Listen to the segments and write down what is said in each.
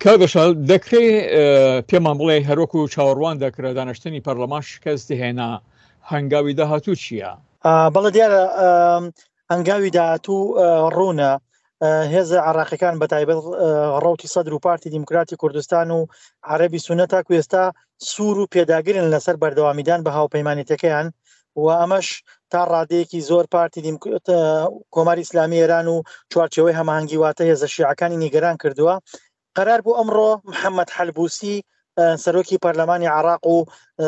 کاک دڵشاد دەکرێ پێمان بڵێ هەروەکو چاوەڕوان دەکرا دانیشتنی پەرلەمان شکست هێنا هەنگاوی داهاتوو چییە؟ بەڵێ دیارە هەنگاوی داهاتوو ڕوونە هێزە عراقیەکان بە تایبەت ڕوتی سەدر و پارتی دیموکراتی کوردستان و عەربی سونە تاکو ئێستا سوور و پێداگرن لەسەر بەردەوامیدان بە هاوپەیمانێتەکەیان و ئەمەش تا ڕادەیەکی زۆر پارتی کۆماری ئیسلامی ئێران و چوارچێوەی هەماهەنگی واتە هێزە شیعەکانی نیگەران کردووە. قەرار بوو ئەمڕۆ محەممەد حەلبوسی سەرۆکی پەرلەمانی عراق و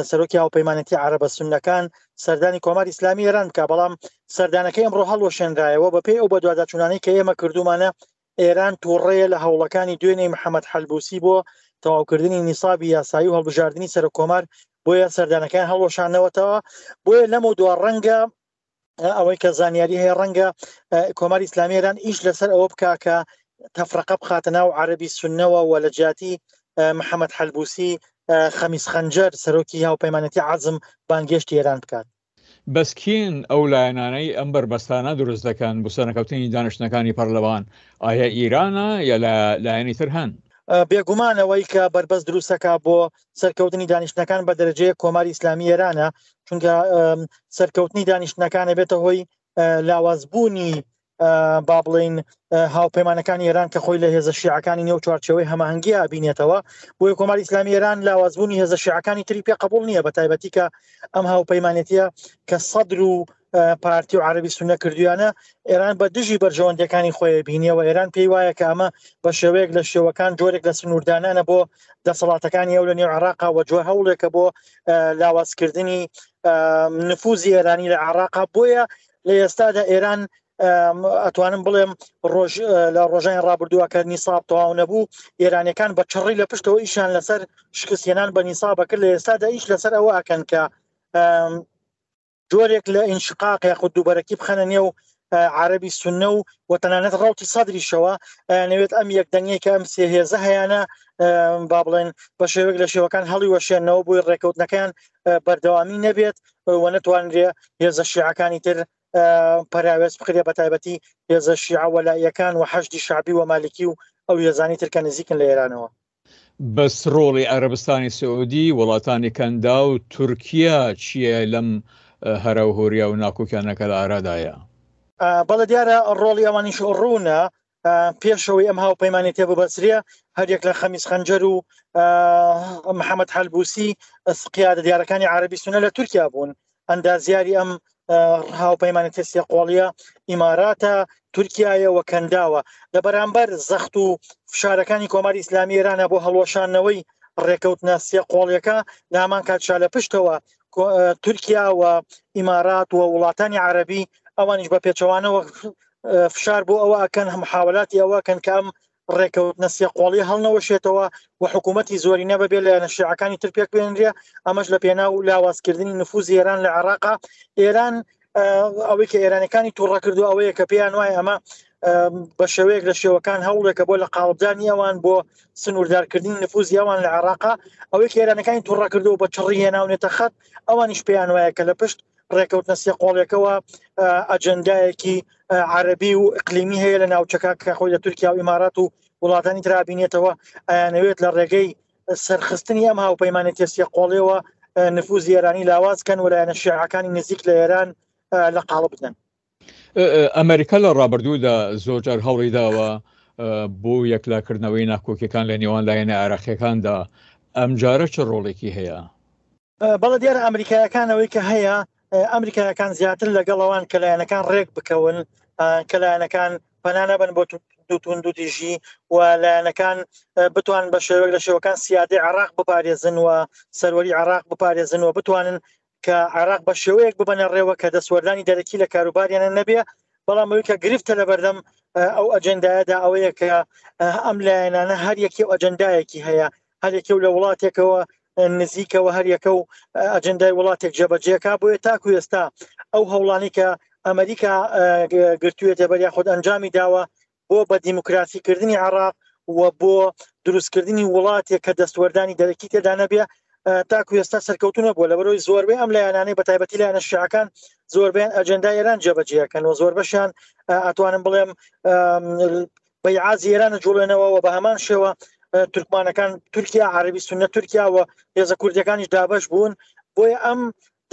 سەرۆکی هاوپەیمانەتی عەرەبە سوننەکان سەردانی کۆماری ئیسلامی ئێران بکە، بەڵام سەردانەکەی ئەمڕۆ هەڵوەشێنرایەوە. بەپێی ئەو بەدواداچوونانەی کە ئێمە کردوومانە ئێران تووڕەیە لە هەوڵەکانی دوێنێی محەمەد حەلبوسی بۆ تەواوکردنی نیسابی یاسایی و هەڵبژاردنی سەرۆککۆمار، بۆیە سەردانەکەیان هەڵوەشاندنەوەتەوە. بۆیە لەمەودوا ڕەنگە ئەوەی کە زانیاری هەیە ڕەنگە کۆماری ئیسلامی ئێران ئیش لەسەر ئەوە بکا کە تەفرەقە بخاتە ناو عەرەبی سوننەوە و لە جیاتی محەمەد حەلبوسی خەمیس خەنجەر سەرۆکی هاوپەیمانێتی عەزم بانگێشتی ئێران بکات. بەس کێن ئەو لایەنانەی ئەم بەربەستانە دروست دەکەن بۆ سەرنەکەوتنی دانیشتنەکانی پەرلەمان؟ ئایا ئیرانە یا لایەنی تر هەن؟ بێگومان ئەوەی کە بەربەست دروستەکە بۆ سەرکەوتنی دانیشتنەکان بە دەرەجەیەک کۆماری ئیسلامی ئێرانە، چونکە سەرکەوتنی دانیشتنەکان ئەبێتە هۆی لاوازبوونی با بڵین هاوپەیمانەکانی ئێران کە خۆی لە هێزە شیعەکانی نێو چوارچێوەی هەماهەنگی ئابینێتەوە. بۆیە کۆماری ئیسلامی ئێران لاوازبوونی هێزە شیعەکانی تری پێ قبول نییە، بە تایبەتی کە ئەم هاوپەیمانێتیە کە سەدر و پارتی و عەربی سونە کردویانە ئێران بە دژی بەرژەوەندیەکانی خۆی بینیەوە. ئێران پێی وایە کە ئەمە بە شێوەیەک لە شێوەکان جۆرێک لە سنووردانانە بۆ دەسەڵاتەکانی ئەو لە نێو عێراقا و جۆر هەوڵێکە بۆ لاوازکردنی نفوزی ئێرانی لە عێراقا. بۆیە لە ئێستادا ئێران ئەتوانم بڵێم ڕۆژ لە ڕۆژانی ڕابردووە کە نیساب تەواو نەبوو ئێرانەکان بە چڕی لە پشتەوە ئیشیان لەسەر شکستهێنان بە نیسابە کرد. لە ئێستادا ئیش لەسەر ئەوە ئەکەن کە جۆرێک لە ئینشقاق یاخود دووبەرەکی بخەنە نێو عربی سنە و و تەنانەت ڕوتی سەدریشەوە ئەیانەوێت ئەم یەکدەنگەی کە ئەم سێ هێزە هەیانە با بڵێن بە شێوەیەک لە شێوەکان هەڵی وەشێنەوە بۆی ڕێکەوتنەکەیان بەردەوامی نەبێت و نەتوانرێ هێزە شیعەکانی تر پەراوێز بخرێ، بە تایبەتی هێزە شیعە وەلاییەکان و حەشدی شەعبی و مالکی و ئەو هێزانی تر کە نزیکن لە ئێرانەوە. بەس ڕۆڵی عەرەبستانی سعودی، وڵاتانی کەنداو، تورکیا چییە لەم هەراوهۆریا و ناکۆکیانە کە لە ئارادایە؟ بەڵێ دیارە ڕۆڵی ئەوانیش ڕوونە. پێشەوەی ئەم هاوپەیمانێتیە ببەسرێ هەریەک لە خەمیس خەنجەر و محەممەد حەلبوسی قیادە دیارەکانی عەربی سونە لە تورکیا بوون. ئەندازیاری ئەم هاوپەیمانێتیە سێقۆڵیە ئیماراتە، تورکیایە و کەنداوە. لە بەرامبەر زەخت و فشارەکانی کۆماری ئیسلامی ئێرانە بۆ هەڵوەشاندنەوەی ڕێکەوتنە سێقۆڵیەکە، لە هەمان کاتشا لە پشتەوە تورکیا و ئیمارات و وڵاتانی عەربی ئەوانیش بە پێچەوانەوە فشار بۆ ئەوە ئەکەن، محاولاتی ئەوە ئەکەن کە ئەم ڕێکەوتنە سێقۆڵی هەڵنەوەشێتەوە و حکوومەتی زۆرینە بەبێ لایەنە شیعەکانی تر پێک بێنرێ، ئەمەش لە پێناو لاوازکردنی نفوزی ئێران لە عێراقا. ئێران ئەوەی کە ئێرانەکانی تووڕە کردو ئەوەیە کە پێیان وایە ئەمە بە شێوەیەک لە شێوەکان هەوڵێکە بۆ لە قاڵبدانی ئەوان بۆ سنووردارکردنی نفوزی ئەوان لە عێراقا. ئەوەی کە ئێرانەکانی تووڕە کردو بە چڕی هێناونێتە خەت، ئەوانیش پێیان وایە کە لە پشت ڕێکەوتنە سێقۆڵیەکەوە ئەجەندایەکی عەربی و ئیقلیمی هەیە لە ناوچەکە کە خۆی لە تورکیا و ئیمارات و وڵاتانی ترا بینێتەوە. ئەیانەوێت لە ڕێگەی سەرخستنی ئەم هاوپەیمانێتیە سێقۆڵیەوە نفوزی ئێرانی لاواز کەن و لایەنە شیعەکانی نزیک لە ئێران لە قاڵب بدەن. ئەمریکا لە ڕابردوودا زۆرجار هەوڵی داوە بۆ یەکلاکردنەوەی ناکۆکیەکان لە نێوان لایەنە عێراقیەکاندا، ئەمجارە چ ڕۆڵێکی هەیە؟ بەڵێ دیارە ئەمریکایەکان ئەوەی کە هەیە ئەمریکایەکان زیاتر لەگەڵ ئەوان کە لایەنەکان ڕێک بکەون، کە لایەنەکان پەنا نەبن بۆ توندوتیژی و لایەنەکان بتوان بە شێوەیەک لە شێوەکان سیادەی عێراق بپارێزن و سەروەری عێراق بپارێزن و بتوانن کە عێراق بە شێوەیەک ببەنە ڕێوە کە دەستوەردانی دەرەکی لە کاروباریانە نەبێ. بەڵام ئەوەی کە گرفتە لەبەردەم ئەو ئەجندایەدا ئەوەیە کە ئەم لایەنانە هەر یەکێ و ئەجندایەکی هەیە، هەر یەکێ و لە وڵاتێکەوە نزیکەوە هەر یەکە و ئەجندای وڵاتێک جێبەجێکا. بۆیە تاکو ئێستا ئەو هەوڵانی کە ئەمریکا گرتوێتە بەر یاخود ئەنجامی داوە بۆ بە دیموکراسی کردنی عێراق و بۆ دروستکردنی وڵاتێک کە دەستوەردانی دەرەکی تێدا نەبێ تاکو ئێستا سەرکەوتو نەبووە. لەبەرەوەی زۆربەی ئەم لایەنانەی بە تایبەتی لایەنە شیعەکان زۆربەیان ئەجندای ئێران جێبەجێەکەن و زۆربەشیان ئەتوانم بڵێم بەیعازی ئێرانە جوڵێنەوە و بە هەمان شێوە. تورکمانەکان تورکیا عربی سنە تورکیا و هێزە کوردەکانیش دابش بوون بۆیە ئەم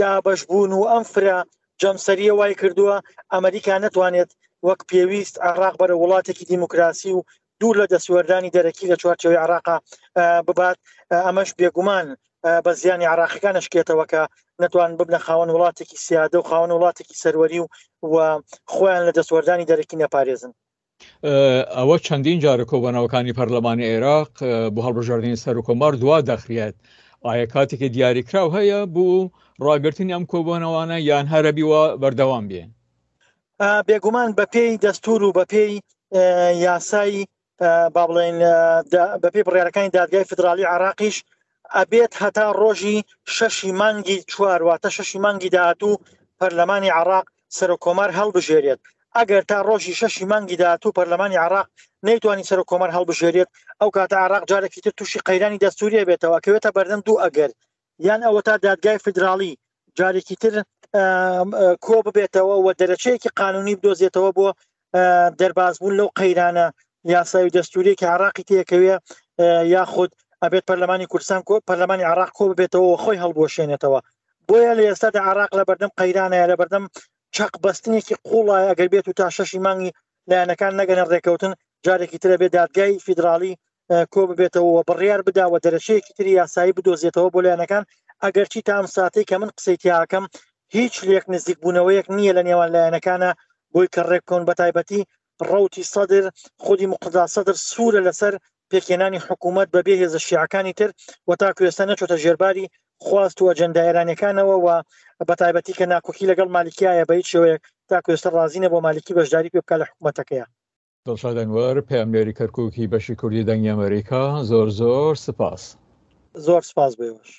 دابش بوون و ئەم فرە جەمسەریە وای کردووە ئەمریکا نەتوانێت وەک پێویست عراق بەرە وڵاتێکی دیموکراسی و دوور لە دەستوەردانی دەرەکی لە چوارچێوەی عراقا ببات ئەمەش بێگومان بە زیانی عراقیەکان نشکێتەوە کە نەتوان ببنە خاوەن وڵاتێکی سیادە و خاوەن وڵاتێکی سەروەری و و خۆیان لە دەستوەردانی دەرەکی نەپارێزن. ئەوە چەندین جارە کۆبەنەوەکانی پەرلەمانی عێراق بۆ هەڵبژاردنی سەرکۆمار دوا دەخرێت ئایا کاتێکی دیاریکراو هەیە بۆ ڕاگرتنی ئەم کۆبوونەوانە یان هەرەبی وە بەردەوام بێ؟ بێگومان بەپێی دەستور و بەپێی یاسای با بڵێن بەپێی بڕیارەکانی دادگای فدرالی عراقیش ئەبێت هەتا ڕۆژی شەشی مانگی چوار واتە شەشی مانگی داهاتوو پەرلەمانی عراق سەرۆک کۆمار هەڵبژێرێت ئەگەر تا ڕۆژی شەشی مانگی داهاتوو پەرلەمانی عراق نەیتوانی سەرۆک کۆمار هەڵبژێرێت ئەو کاتە عراق جارێکی تر تووشی قەیرانی دەستوریە بێتەوە کەوێتە بەردەم دوو ئەگەر یان ئەوەتا دادگای فیدراڵی جارێکی تر کۆ ببێتەوە و دەرەچەیەکی قانونی بدۆزێتەوە بۆ دەربازبوون لەو قەیرانە یاسای و دەستوریەکی عراقی تێکەوێ یاخود ئەبێت پەرلەمانی کوردستان کۆ پەرلەمانی عراق کۆ ببێتەوە و خۆی هەڵبوەشێنێتەوە بۆیە لە ئێستادا عراق لە بەردەم قەیرانەیە لە بەردەم چەق بەستنێکی قوڵە ئەگەر بێت و تا شەشی مانگی لایەنەکان نەگەنە ڕێکەوتن جارێکی ترە بێ دادگای فیدراڵی کۆ ببێتەوە و بڕیار بدا و دەرەچەیەکی تری یاسایی بدۆزێتەوە بۆ لایەنەکان ئەگەرچی تا ئەم ساتەی کە من قسەی تیاکەم هیچ لێک نزیک بوونەوەیەک نییە لە نێوان لایەنەکانە بۆی کە ڕێککەون بە تایبەتی ڕەوتی سەدر خودی مقتدا سەدر سوورە لەسەر پێکهێنانی حکوومەت بەبێ هێزە شیعەکانی تر و تاکو ئێستا نەچۆتە ژێرباری خواست و ئەجەندا ئێرانیەکانەوە و بە تایبەتی کە ناکۆکی لەگەڵ مالیکیایە بە هیچ شێوەیەک تاکو ئێستا ڕازی نەبووە مالیکی بەشداری پێ بکات لە حکوومەتەکەیا. دڵشاد ئەنوەر، پەیامنێری کەرکووکی بەشی کوردی دەنگی ئەمەریکا، زۆر زۆر سپاس. زۆر سپاس بۆ ئێوەش.